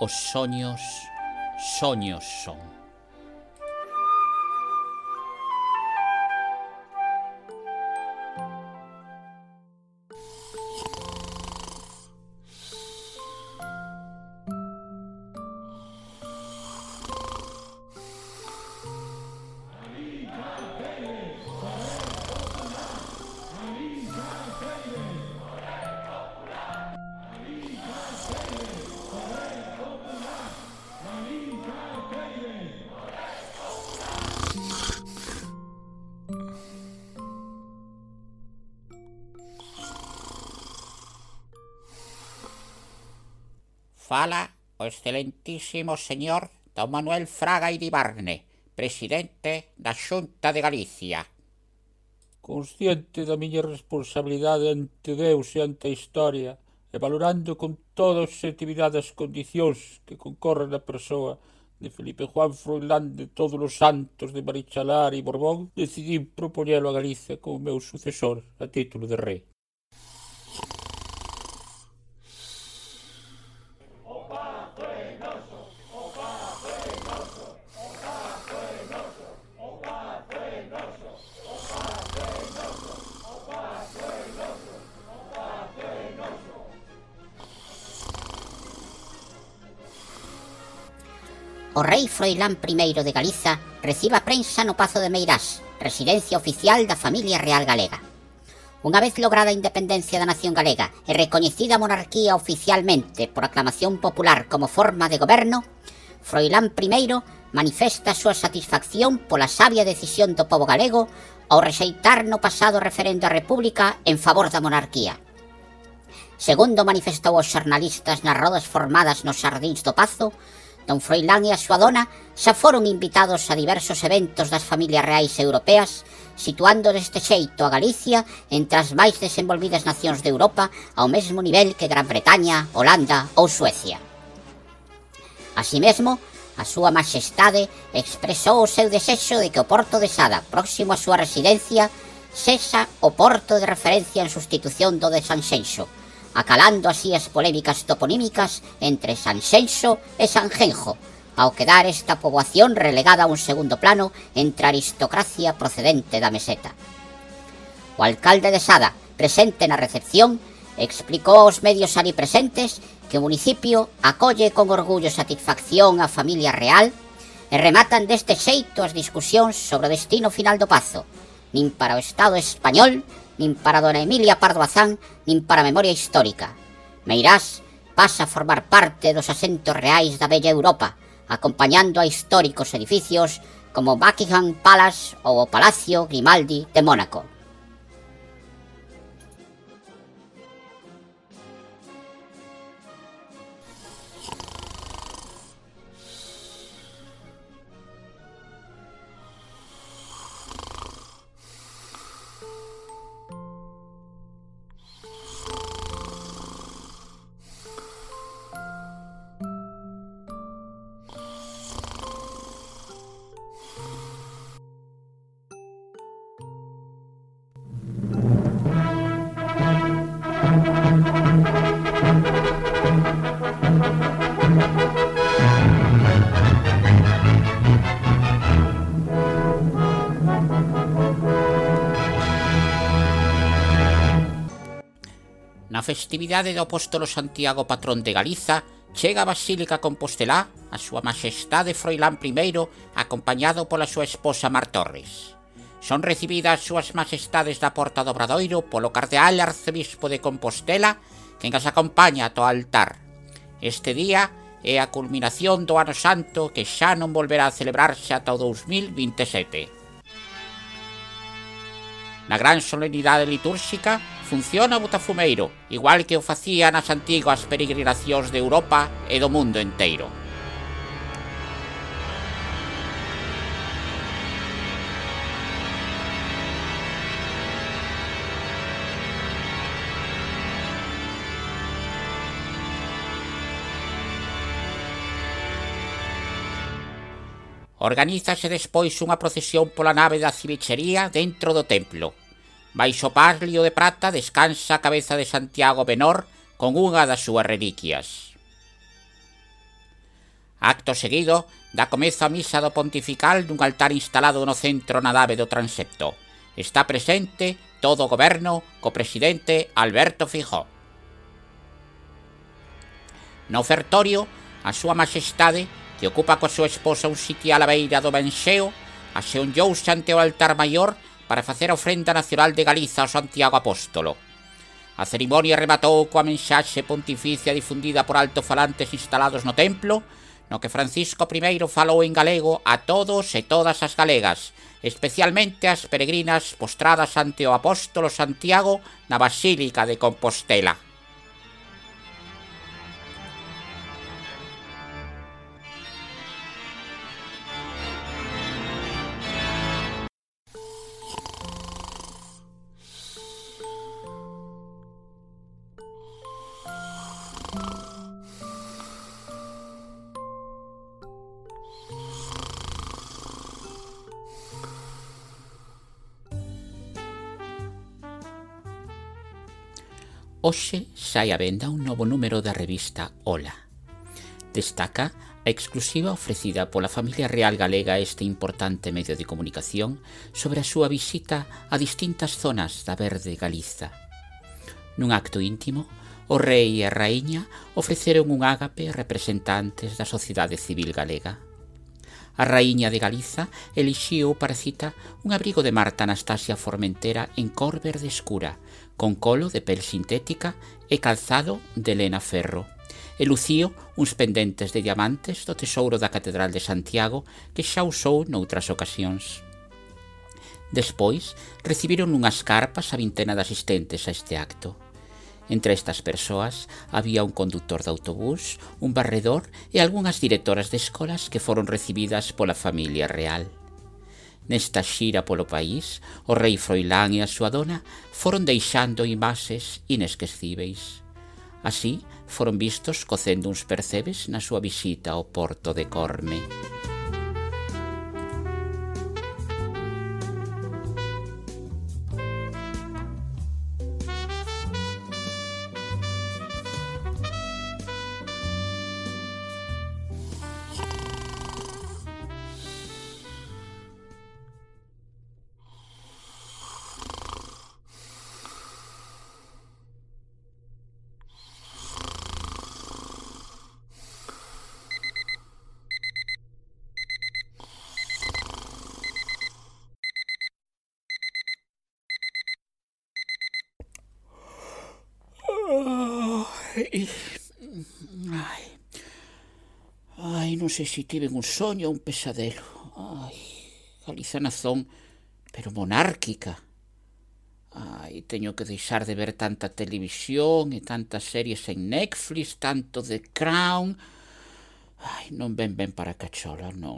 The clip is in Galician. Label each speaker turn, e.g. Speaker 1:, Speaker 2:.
Speaker 1: Os soños, soños son.
Speaker 2: Fala o excelentísimo señor don Manuel Fraga Iribarne, presidente da Xunta de Galicia.
Speaker 3: Consciente da miña responsabilidade ante Deus e ante a historia, e valorando con toda a objetividade as condicións que concorren na persoa de Felipe Juan Froilán de todos os santos de Marichalar e Borbón, decidí propoñelo a Galicia como meu sucesor a título de rei.
Speaker 4: O rei Froilán I de Galiza recibe a prensa no Pazo de Meirás, residencia oficial da familia real galega. Unha vez lograda a independencia da nación galega e recoñecida a monarquía oficialmente por aclamación popular como forma de goberno, Froilán I manifesta a súa satisfacción pola sabia decisión do pobo galego ao rexeitar no pasado referendo á República en favor da monarquía. Segundo manifestou aos xornalistas nas rodas formadas nos xardíns do Pazo, don Froilán e a súa dona xa foron invitados a diversos eventos das familias reais europeas, situando deste xeito a Galicia entre as máis desenvolvidas nacións de Europa ao mesmo nivel que Gran Bretaña, Holanda ou Suecia. Así mesmo, a súa maxestade expresou o seu desexo de que o Porto de Sada, próximo á súa residencia, sexa o porto de referencia en sustitución do de Sanxenxo, acalando así as polémicas toponímicas entre Sanxenxo e Sanjenjo, ao quedar esta poboación relegada a un segundo plano entre a aristocracia procedente da meseta. O alcalde de Sada, presente na recepción, explicou aos medios ali presentes que o municipio acolle con orgullo e satisfacción a familia real e rematan deste xeito as discusións sobre o destino final do Pazo, nin para o Estado español, nin para dona Emilia Pardo Bazán, nin para a memoria histórica. Meirás pasa a formar parte dos asentos reais da bella Europa, acompañando a históricos edificios como Buckingham Palace ou o Palacio Grimaldi de Mónaco.
Speaker 2: Na festividade do apóstolo Santiago, patrón de Galiza, chega a Basílica Compostelá a súa maxestade Froilán I acompañado pola súa esposa Mar Torres. Son recibidas as súas maxestades da Porta do Obradoiro polo cardeal arcebispo de Compostela, quen as acompaña ata o altar. Este día é a culminación do Ano Santo que xa non volverá a celebrarse ata o 2027. Na gran solemnidade litúrxica funciona o botafumeiro, igual que o facía nas antigas peregrinacións de Europa e do mundo enteiro. Organízase despois unha procesión pola nave da Civichería dentro do templo. Baixo o palio de prata descansa a cabeza de Santiago Benor con unha das súas reliquias. Acto seguido, dá comezo a misa do pontifical nun altar instalado no centro na nave do transepto. Está presente todo o goberno co presidente Alberto Feijóo. No ofertorio, a súa majestade, que ocupa coa súa esposa un sitial á beira do Benxeo, aseonllouse ante o altar maior para facer a ofrenda nacional de Galiza ao Santiago Apóstolo. A cerimonia rematou coa mensaxe pontificia difundida por altofalantes instalados no templo, no que Francisco I falou en galego a todos e todas as galegas, especialmente as peregrinas postradas ante o apóstolo Santiago na Basílica de Compostela. Hoxe sai á venda un novo número da revista Ola. Destaca a exclusiva ofrecida pola familia real galega a este importante medio de comunicación sobre a súa visita a distintas zonas da verde Galiza. Nun acto íntimo, o rei e a raíña ofreceron un ágape a representantes da sociedade civil galega. A raíña de Galiza elixiu para cita un abrigo de Marta Anastasia Formentera en cor verde escura, con colo de pel sintética e calzado de lena ferro, e lucío uns pendentes de diamantes do tesouro da Catedral de Santiago que xa usou noutras ocasións. Despois, recibiron unhas carpas a vintena de asistentes a este acto. Entre estas persoas había un conductor de autobús, un barredor e algunhas directoras de escolas que foron recibidas pola familia real. Nesta xira polo país, o rei Froilán e a súa dona foron deixando imaxes inesquecíveis. Así, foron vistos cocendo uns percebes na súa visita ao porto de Corme. Ai, non sei se tiven un soño ou un pesadelo. Ai, Galiza nazón, pero monárquica. Ai, teño que deixar de ver tanta televisión e tantas series en Netflix, tanto The Crown. Ai, non ven ben para cachola, non.